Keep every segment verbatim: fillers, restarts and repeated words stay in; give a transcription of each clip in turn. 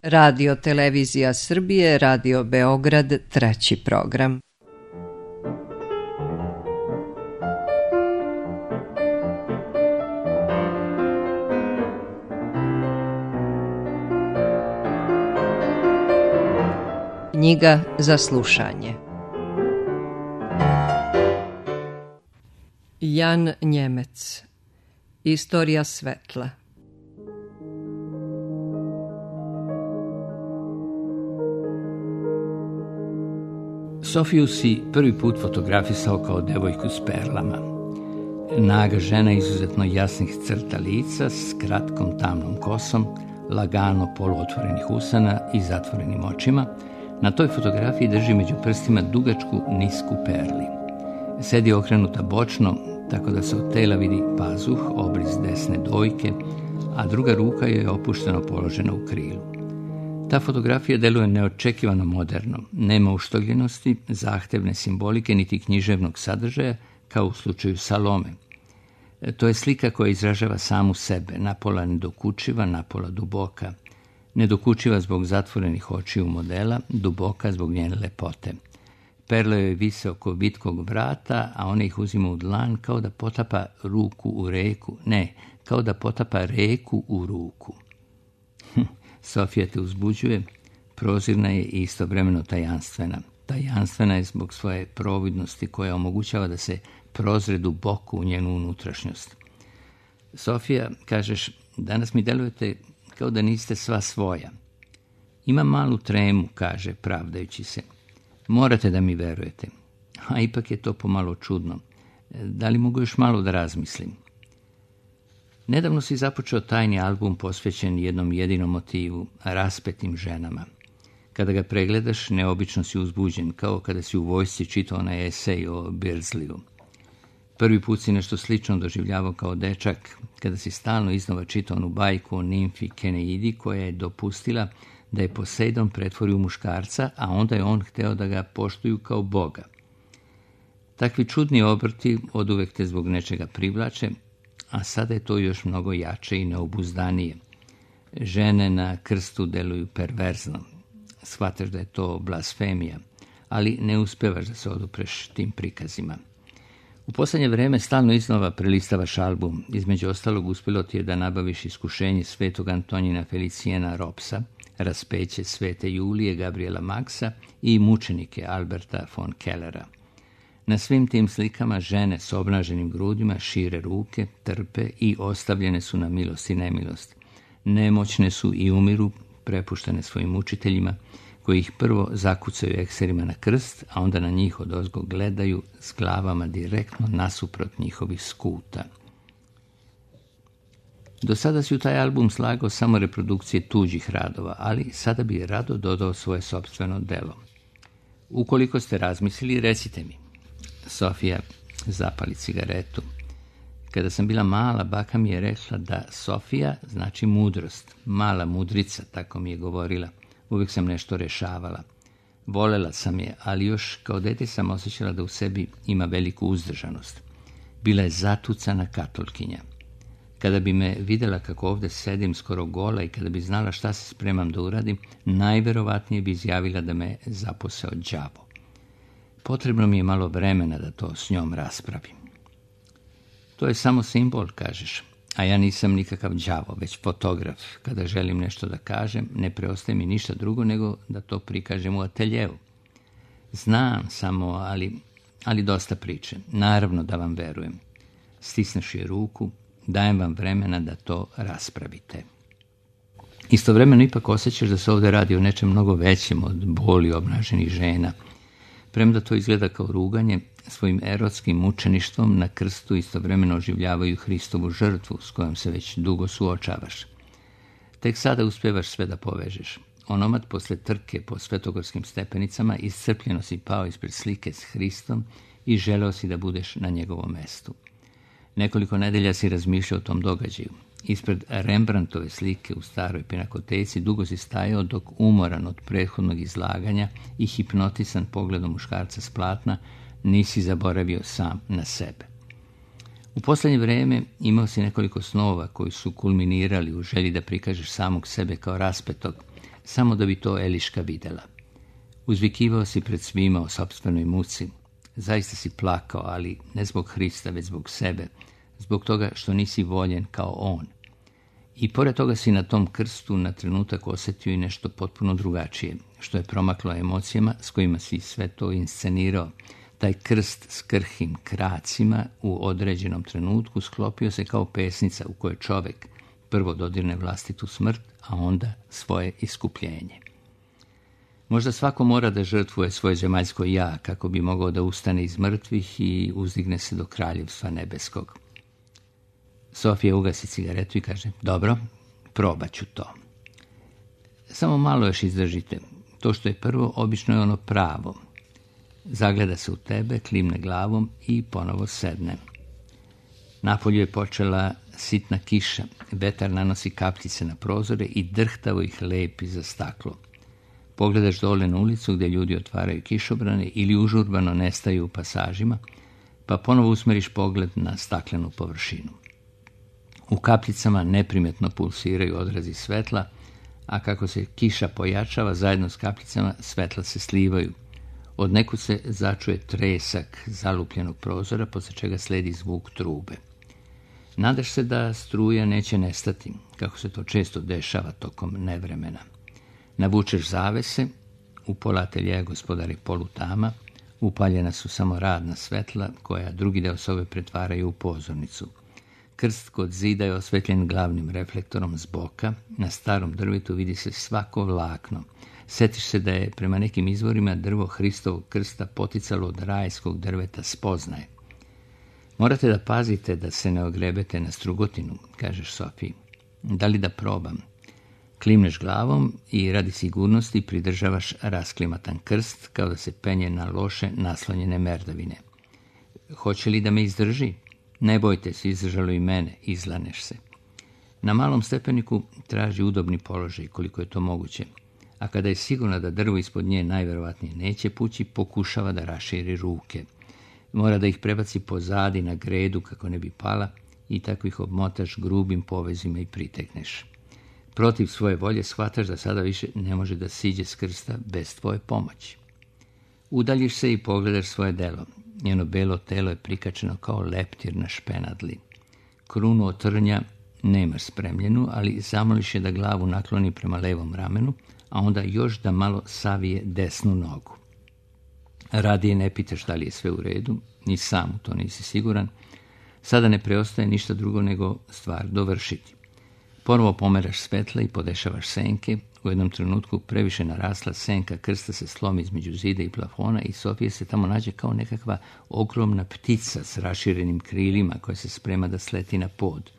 Radio Televizija Srbije, Radio Beograd, treći program. Knjiga za slušanje. Jan Njemec. Istorija svetla. Sofiju si prvi put fotografisao kao devojku s perlama. Naga žena izuzetno jasnih crta lica s kratkom tamnom kosom, lagano poluotvorenih usana i zatvorenim očima. Na toj fotografiji drži među prstima dugačku nisku perli. Sedi okrenuta bočno, tako da se od tela vidi pazuh, obris desne dojke, a druga ruka joj je opušteno položena u krilu. Ta fotografija deluje neočekivano moderno, nema uštogljenosti, zahtevne simbolike niti književnog sadržaja, kao u slučaju Salome. To je slika koja izražava samu sebe, napola nedokučiva, napola duboka. Nedokučiva zbog zatvorenih očiju modela, duboka zbog njene lepote. Perle joj vise oko vitkog vrata, a ona ih uzima u dlan kao da potapa ruku u reku. Ne, kao da potapa reku u ruku. Sofija te uzbuđuje, prozirna je i istovremeno tajanstvena. Tajanstvena je zbog svoje providnosti koja omogućava da se prozre duboko u njenu unutrašnjost. Sofija, kažeš, danas mi delujete kao da niste sva svoja. Ima malu tremu, kaže, pravdajući se. Morate da mi verujete. A ipak je to pomalo čudno. Da li mogu još malo da razmislim? Nedavno si započeo tajni album posvećen jednom jedinom motivu, raspetim ženama. Kada ga pregledaš, neobično si uzbuđen, kao kada si u vojsci čitao onaj esej o Beardsliju. Prvi put si nešto slično doživljavao kao dečak, kada si stalno iznova čitao onu bajku o nimfi Keneidi koja je dopustila da je Poseidon pretvori u muškarca, a onda je on hteo da ga poštuju kao boga. Takvi čudni obrti oduvek te zbog nečega privlače, a sada je to još mnogo jače i neobuzdanije. Žene na krstu deluju perverzno. Shvataš da je to blasfemija, ali ne uspevaš da se odupreš tim prikazima. U poslednje vreme stalno iznova prelistavaš album. Između ostalog uspelo ti je da nabaviš Iskušenje svetog Antonina Felicijena Ropsa, Raspeće svete Julije Gabriela Maxa i Mučenike Alberta von Kellera. Na svim tim slikama žene s obnaženim grudima šire ruke, trpe i ostavljene su na milost i nemilost. Nemoćne su i umiru, prepuštene svojim učiteljima, koji ih prvo zakucaju ekserima na krst, a onda na njih odozgo gledaju s glavama direktno nasuprot njihovih skuta. Do sada si u taj album slagao samo reprodukcije tuđih radova, ali sada bi rado dodao svoje sopstveno delo. Ukoliko ste razmislili, recite mi. Sofija zapali cigaretu. Kada sam bila mala, baka mi je rekla da Sofija znači mudrost, mala mudrica, tako mi je govorila. Uvijek sam nešto rešavala. Volela sam je, ali još kao dete sam osjećala da u sebi ima veliku uzdržanost. Bila je zatucana katolkinja. Kada bi me videla kako ovdje sedim skoro gola i kada bi znala šta se spremam da uradim, najverovatnije bi izjavila da me zaposeo đavo. Potrebno mi je malo vremena da to s njom raspravim. To je samo simbol, kažeš, a ja nisam nikakav đavo, već fotograf. Kada želim nešto da kažem, ne preostaje mi ništa drugo nego da to prikažem u ateljevu. Znam samo, ali, ali dosta priče. Naravno da vam verujem. Stisneš je ruku, dajem vam vremena da to raspravite. Istovremeno ipak osjećaš da se ovdje radi o nečem mnogo većem od boli obnaženih žena. Premda to izgleda kao ruganje, svojim erotskim mučeništvom na krstu istovremeno oživljavaju Hristovu žrtvu s kojom se već dugo suočavaš. Tek sada uspevaš sve da povežeš. Onomad posle trke po svetogorskim stepenicama iscrpljeno si pao ispred slike s Hristom i želeo si da budeš na njegovom mestu. Nekoliko nedelja si razmišljao o tom događaju. Ispred Rembrandtove slike u staroj pinakoteci dugo si stajao dok umoran od prethodnog izlaganja i hipnotisan pogledom muškarca s platna nisi zaboravio sam na sebe. U poslednje vreme imao si nekoliko snova koji su kulminirali u želji da prikažeš samog sebe kao raspetog, samo da bi to Eliška videla. Uzvikivao si pred svima o sopstvenoj muci. Zaista si plakao, ali ne zbog Hrista, već zbog sebe, zbog toga što nisi voljen kao on. I pored toga si na tom krstu na trenutak osjetio i nešto potpuno drugačije, što je promaklo emocijama s kojima si sve to inscenirao. Taj krst s krhim kracima u određenom trenutku sklopio se kao pesnica u kojoj čovjek prvo dodirne vlastitu smrt, a onda svoje iskupljenje. Možda svako mora da žrtvuje svoje zemaljsko ja kako bi mogao da ustane iz mrtvih i uzdigne se do kraljevstva nebeskog. Sofija ugasi cigaretu i kaže, dobro, probat ću to. Samo malo još izdržite. To što je prvo, obično je ono pravo. Zagleda se u tebe, klimne glavom i ponovo sedne. Napolju je počela sitna kiša. Vetar nanosi kapljice na prozore i drhtavo ih lepi za staklo. Pogledaš dole na ulicu gdje ljudi otvaraju kišobrane ili užurbano nestaju u pasažima, pa ponovo usmeriš pogled na staklenu površinu. U kapljicama neprimjetno pulsiraju odrazi svetla, a kako se kiša pojačava, zajedno s kapljicama svetla se slivaju. Od nekud se začuje tresak zalupljenog prozora, poslije čega sledi zvuk trube. Nadaš se da struja neće nestati, kako se to često dešava tokom nevremena. Navučeš zavese, u pola ateljeja gospodari polutama, upaljena su samo radna svetla, koja drugi deo sobe pretvaraju u pozornicu. Krst kod zida je osvetljen glavnim reflektorom s boka, na starom drvetu vidi se svako vlakno. Setiš se da je prema nekim izvorima drvo Hristovog krsta poticalo od rajskog drveta spoznaje. Morate da pazite da se ne ogrebete na strugotinu, kažeš Sofiji. Da li da probam? Klimneš glavom i radi sigurnosti pridržavaš rasklimatan krst kao da se penje na loše naslonjene merdavine. Hoće li da me izdrži? Ne bojte se, izdržalo i mene, izlaneš se. Na malom stepeniku traži udobni položaj koliko je to moguće, a kada je sigurna da drvo ispod nje najverovatnije neće pući, pokušava da raširi ruke. Mora da ih prebaci pozadi na gredu kako ne bi pala i tako ih obmotaš grubim povezima i pritekneš. Protiv svoje volje shvataš da sada više ne može da siđe s krsta bez tvoje pomoći. Udaljiš se i pogledaš svoje delo. Njeno belo telo je prikačeno kao leptir na špenadli. Krunu od trnja nemaš spremljenu, ali zamoliš je da glavu nakloni prema levom ramenu, a onda još da malo savije desnu nogu. Radije ne pitaš da li je sve u redu, ni sam u to nisi siguran. Sada ne preostaje ništa drugo nego stvar dovršiti. Ponovo pomeraš svetla i podešavaš senke. U jednom trenutku previše narasla senka krsta se slomi između zida i plafona i Sofija se tamo nađe kao nekakva ogromna ptica s raširenim krilima koja se sprema da sleti na pod.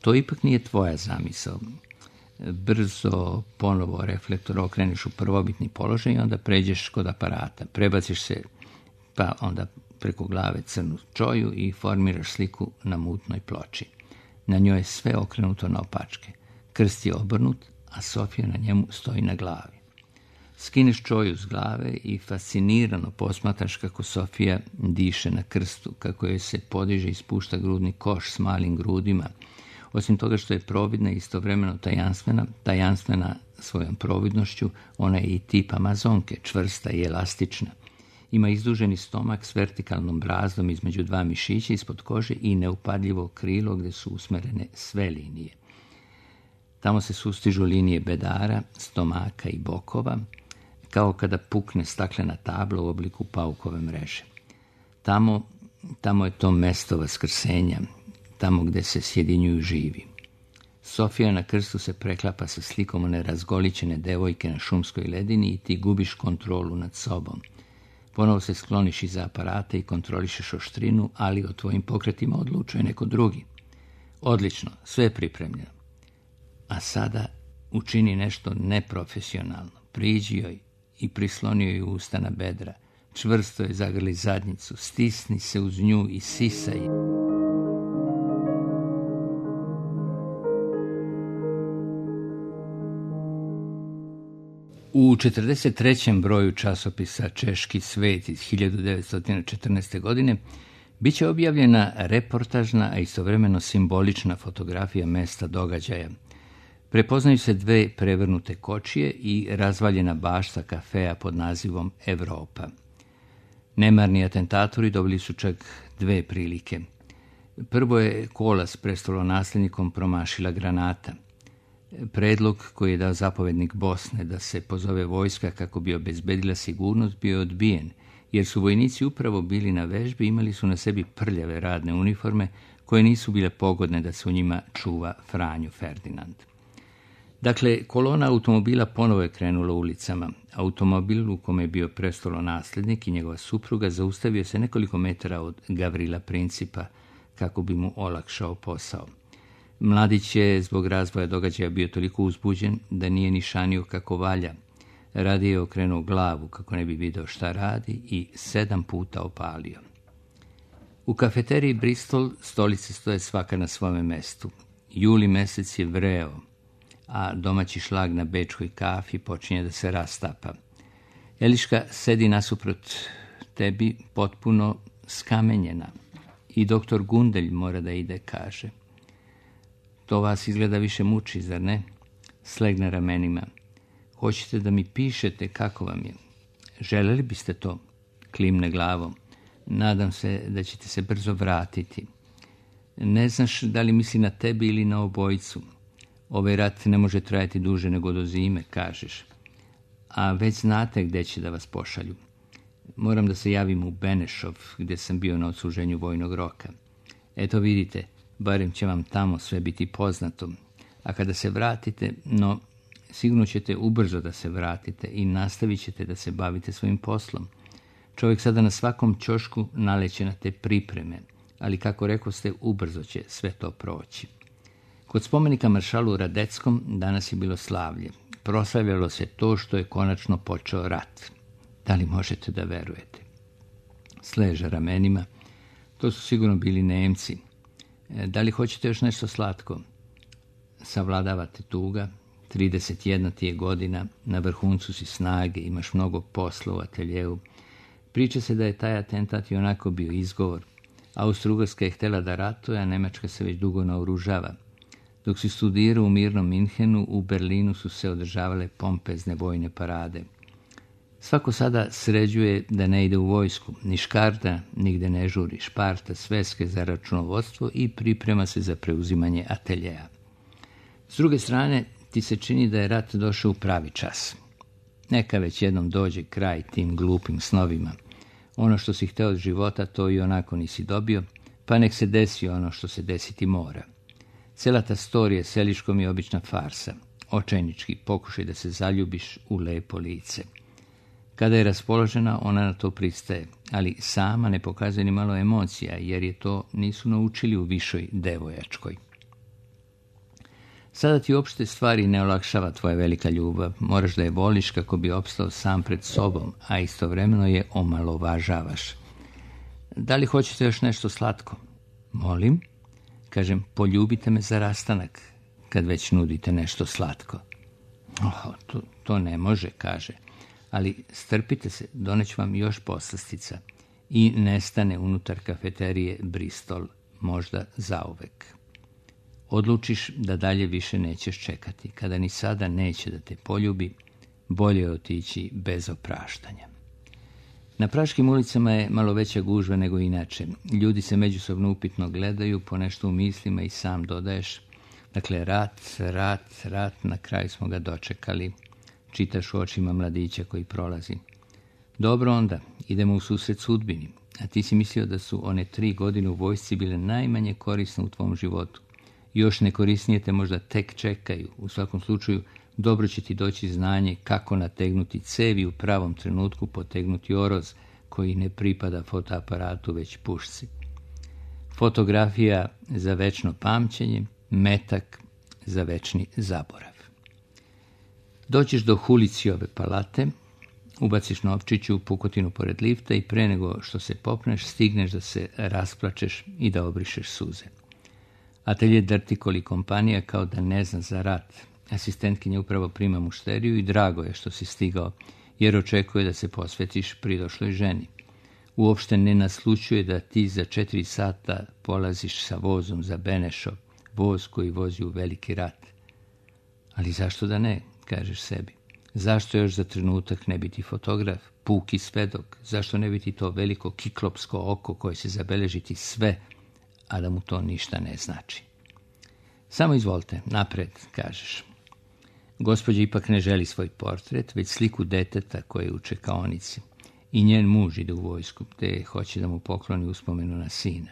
To ipak nije tvoja zamisao. Brzo ponovo reflektor okreneš u prvobitni položaj i onda pređeš kod aparata. Prebaciš se pa onda preko glave crnu čoju i formiraš sliku na mutnoj ploči. Na njoj je sve okrenuto na opačke. Krst je obrnut, a Sofija na njemu stoji na glavi. Skineš čoju s glave i fascinirano posmatraš kako Sofija diše na krstu, kako joj se podiže i spušta grudni koš s malim grudima. Osim toga što je providna i istovremeno tajanstvena, tajanstvena svojom providnošću, ona je i tip Amazonke, čvrsta i elastična. Ima izduženi stomak s vertikalnom brazdom između dva mišića ispod kože i neupadljivo krilo gdje su usmerene sve linije. Tamo se sustižu linije bedara, stomaka i bokova, kao kada pukne staklena tabla u obliku paukove mreže. Tamo, tamo je to mesto vaskrsenja, tamo gdje se sjedinjuju živi. Sofija na krstu se preklapa sa slikom one razgoličene devojke na šumskoj ledini i ti gubiš kontrolu nad sobom. Ponovo se skloniš iza aparata i kontrolišeš oštrinu, ali o tvojim pokretima odlučuje neko drugi. Odlično, sve je pripremljeno. A sada učini nešto neprofesionalno. Priđi joj i prisloni joj usta na bedra. Čvrsto je zagrli zadnjicu, stisni se uz nju i sisaj. U četrdeset trećem broju časopisa Češki svet iz hiljadu devetsto četrnaeste. godine bit će objavljena reportažna, a istovremeno simbolična fotografija mesta događaja. Prepoznaju se dve prevrnute kočije i razvaljena bašta kafea pod nazivom Evropa. Nemarni atentatori dobili su čak dve prilike. Prvo je kola s prestolonasljednikom promašila granata. Predlog koji je dao zapovednik Bosne da se pozove vojska kako bi obezbedila sigurnost bio je odbijen, jer su vojnici upravo bili na vežbi i imali su na sebi prljave radne uniforme koje nisu bile pogodne da se u njima čuva Franjo Ferdinand. Dakle, kolona automobila ponovo je krenula ulicama. Automobil u kome je bio prestolonasljednik i njegova supruga zaustavio se nekoliko metara od Gavrila Principa kako bi mu olakšao posao. Mladić je zbog razvoja događaja bio toliko uzbuđen da nije nišanio kako valja. Radije je okrenuo glavu kako ne bi video šta radi i sedam puta opalio. U kafeteriji Bristol stolice stoje svaka na svome mestu. Juli mesec je vreo, a domaći šlag na bečkoj kafi počinje da se rastapa. Eliška sedi nasuprot tebi potpuno skamenjena i doktor Gundelj mora da ide, kaže. To vas izgleda više muči, zar ne? Slegne ramenima. Hoćete da mi pišete kako vam je? Želeli biste to? Klimne glavom. Nadam se da ćete se brzo vratiti. Ne znaš da li misli na tebi ili na obojicu. Ovaj rat ne može trajati duže nego do zime, kažeš. A već znate gde će da vas pošalju. Moram da se javim u Benešov, gdje sam bio na odsluženju vojnog roka. Eto vidite, barem će vam tamo sve biti poznato. A kada se vratite, no, sigurno ćete ubrzo da se vratite i nastavit ćete da se bavite svojim poslom. Čovjek sada na svakom ćošku naleće na te pripreme, ali kako rekoste, ubrzo će sve to proći. Kod spomenika maršalu Radeckom danas je bilo slavlje. Proslavljalo se to što je konačno počeo rat. Da li možete da verujete? Sleže ramenima. To su sigurno bili Nemci. Da li hoćete još nešto slatko? Savladavate tuga. trideset jedna ti je godina, na vrhuncu si snage, imaš mnogo posla u ateljevu. Priča se da je taj atentat i onako bio izgovor. Austro-Ugarska je htjela da ratuje, a Nemačka se već dugo naoružava. Dok si studirao u mirnom Minhenu, u Berlinu su se održavale pompezne vojne parade. Svako sada sređuje da ne ide u vojsku, ni škarda nigde ne žuri, šparta sveske za računovodstvo i priprema se za preuzimanje ateljeja. S druge strane, ti se čini da je rat došao u pravi čas. Neka već jednom dođe kraj tim glupim snovima. Ono što si hteo od života, to i onako nisi dobio, pa nek se desi ono što se desiti mora. Cela ta storija s Eliškom je obična farsa, očajnički pokušaj da se zaljubiš u lepo lice. Kada je raspoložena, ona na to pristaje, ali sama ne pokazuje ni malo emocija, jer je to nisu naučili u višoj devojačkoj. Sada ti uopšte stvari ne olakšava tvoja velika ljubav, moraš da je voliš kako bi opstao sam pred sobom, a istovremeno je omalovažavaš. Da li hoćete još nešto slatko? Molim? Kažem, poljubite me za rastanak, kad već nudite nešto slatko. Oh, to, to ne može, kaže, ali strpite se, doneću vam još poslastica. I nestane unutar kafeterije Bristol, možda zauvek. Odlučiš da dalje više nećeš čekati. Kada ni sada neće da te poljubi, bolje je otići bez opraštanja. Na praškim ulicama je malo veća gužva nego inače. Ljudi se međusobno upitno gledaju, ponešto u mislima i sam dodaješ. Dakle, rat, rat, rat, na kraju smo ga dočekali. Čitaš u očima mladića koji prolazi. Dobro onda, idemo u susret sudbini. A ti si mislio da su one tri godine u vojsci bile najmanje korisne u tvom životu. Još nekorisnije te možda tek čekaju. U svakom slučaju, dobro će ti doći znanje kako nategnuti cevi u pravom trenutku, potegnuti oroz koji ne pripada fotoaparatu već pušci. Fotografija za večno pamćenje, metak za večni zaborav. Doćiš do Hulicijove palate, ubaciš novčiću u pukotinu pored lifta i pre nego što se popneš, stigneš da se rasplačeš i da obrišeš suze. Atelje Drtikoli kompanija kao da ne zna za rat. Asistentkinja upravo prima mušteriju i drago je što si stigao, jer očekuje da se posvetiš pridošloj ženi. Uopšte ne naslućuje da ti za četiri sata polaziš sa vozom za Benešov, voz koji vozi u veliki rat. Ali zašto da ne, kažeš sebi? Zašto još za trenutak ne biti fotograf, puki svedok? Zašto ne biti to veliko kiklopsko oko koje će zabeležiti sve, a da mu to ništa ne znači? Samo izvolite, napred, kažeš. Gospođa ipak ne želi svoj portret, već sliku deteta koje je u čekaonici. I njen muž ide u vojsku, te hoće da mu pokloni uspomenu na sina.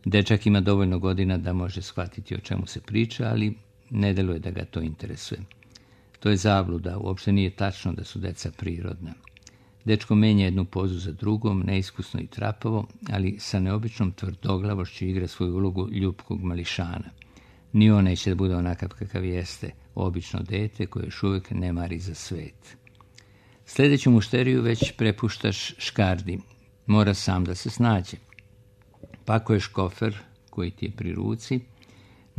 Dečak ima dovoljno godina da može shvatiti o čemu se priča, ali ne deluje da ga to interesuje. To je zabluda, uopšte nije tačno da su deca prirodna. Dečko menja jednu pozu za drugom, neiskusno i trapavo, ali sa neobičnom tvrdoglavošću igra svoju ulogu ljubkog mališana. Ni on neće da bude onakav kakav jeste, obično dete koje još uvijek ne mari za svet. Sljedeću mušteriju već prepuštaš škardi. Mora sam da se snađe. Pakuješ kofer koji ti je pri ruci,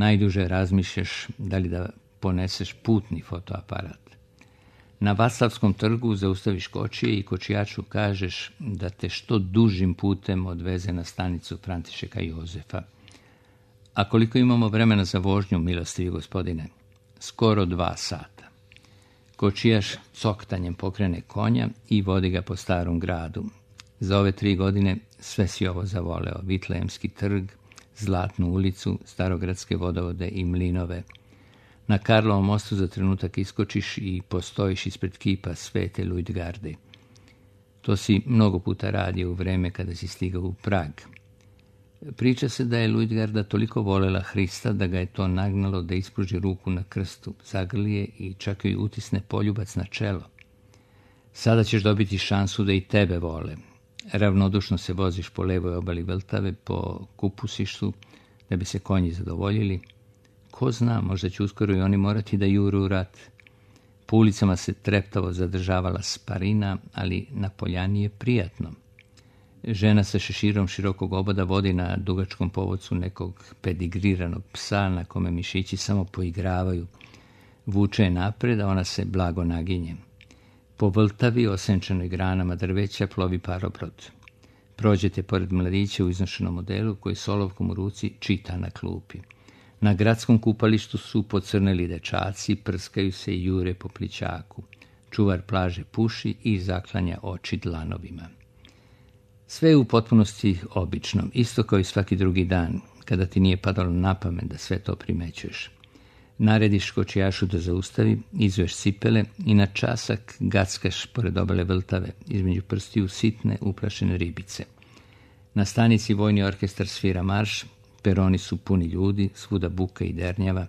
najduže razmišljaš da li da poneseš putni fotoaparat. Na Vaclavskom trgu zaustaviš kočije i kočijaču kažeš da te što dužim putem odveze na stanicu Františeka Jozefa. A koliko imamo vremena za vožnju, milostivi gospodine? Skoro dva sata. Kočijaš coktanjem pokrene konja i vodi ga po starom gradu. Za ove tri godine sve si ovo zavoleo. Vitlejemski trg, Zlatnu ulicu, starogradske vodovode i mlinove. Na Karlovom mostu za trenutak iskočiš i postojiš ispred kipa Svete Lujdgarde. To si mnogo puta radio u vreme kada si stigao u Prag. Priča se da je Lujdgarda toliko volela Hrista da ga je to nagnalo da ispruži ruku na krstu, zagrlije i čak joj utisne poljubac na čelo. Sada ćeš dobiti šansu da i tebe vole. Ravnodušno se voziš po levoj obali Vltave, po kupusištu, da bi se konji zadovoljili. Ko zna, možda će uskoro i oni morati da juru u rat. Po ulicama se treptavo zadržavala Sparina, ali na poljani je prijatno. Žena sa šeširom širokog oboda vodi na dugačkom povodcu nekog pedigriranog psa na kome mišići samo poigravaju. Vuče je napred, a ona se blago naginje. Po Vltavi, osenčenoj granama drveća, plovi parobrod. Prođete pored mladića u iznošenom modelu koji s olovkom u ruci čita na klupi. Na gradskom kupalištu su pocrneli dečaci, prskaju se i jure po plićaku. Čuvar plaže puši i zaklanja oči dlanovima. Sve je u potpunosti obično, isto kao i svaki drugi dan, kada ti nije padalo na pamet da sve to primećuješ. Narediš kočijašu da zaustavi, izveš cipele i na časak gackaš pored obale Vltave, između prstiju sitne uplašene ribice. Na stanici vojni orkestar svira marš, peroni su puni ljudi, svuda buka i dernjava.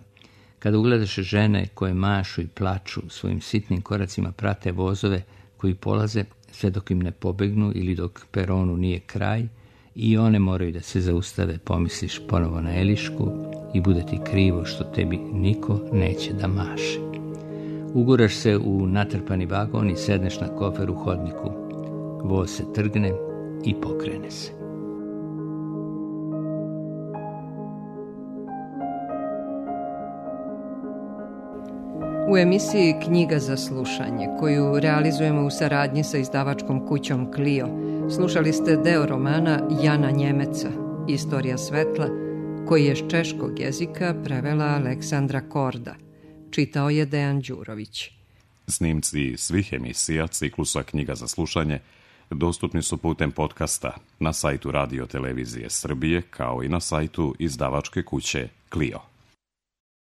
Kada ugledaš žene koje mašu i plaču, svojim sitnim koracima prate vozove koji polaze sve dok im ne pobegnu ili dok peronu nije kraj, i one moraju da se zaustave, pomisliš ponovo na Elišku i bude ti krivo što tebi niko neće da maše. Uguraš se u natrpani vagon i sedneš na kofer u hodniku. Voz se trgne i pokrene se. U emisiji Knjiga za slušanje, koju realizujemo u saradnji sa izdavačkom kućom Clio, slušali ste deo romana Jana Njemeca, Istorija svetla, koji je s češkog jezika prevela Aleksandra Korda. Čitao je Dejan Đurović. Snimci svih emisija ciklusa Knjiga za slušanje dostupni su putem podcasta na sajtu Radio Televizije Srbije, kao i na sajtu izdavačke kuće Clio.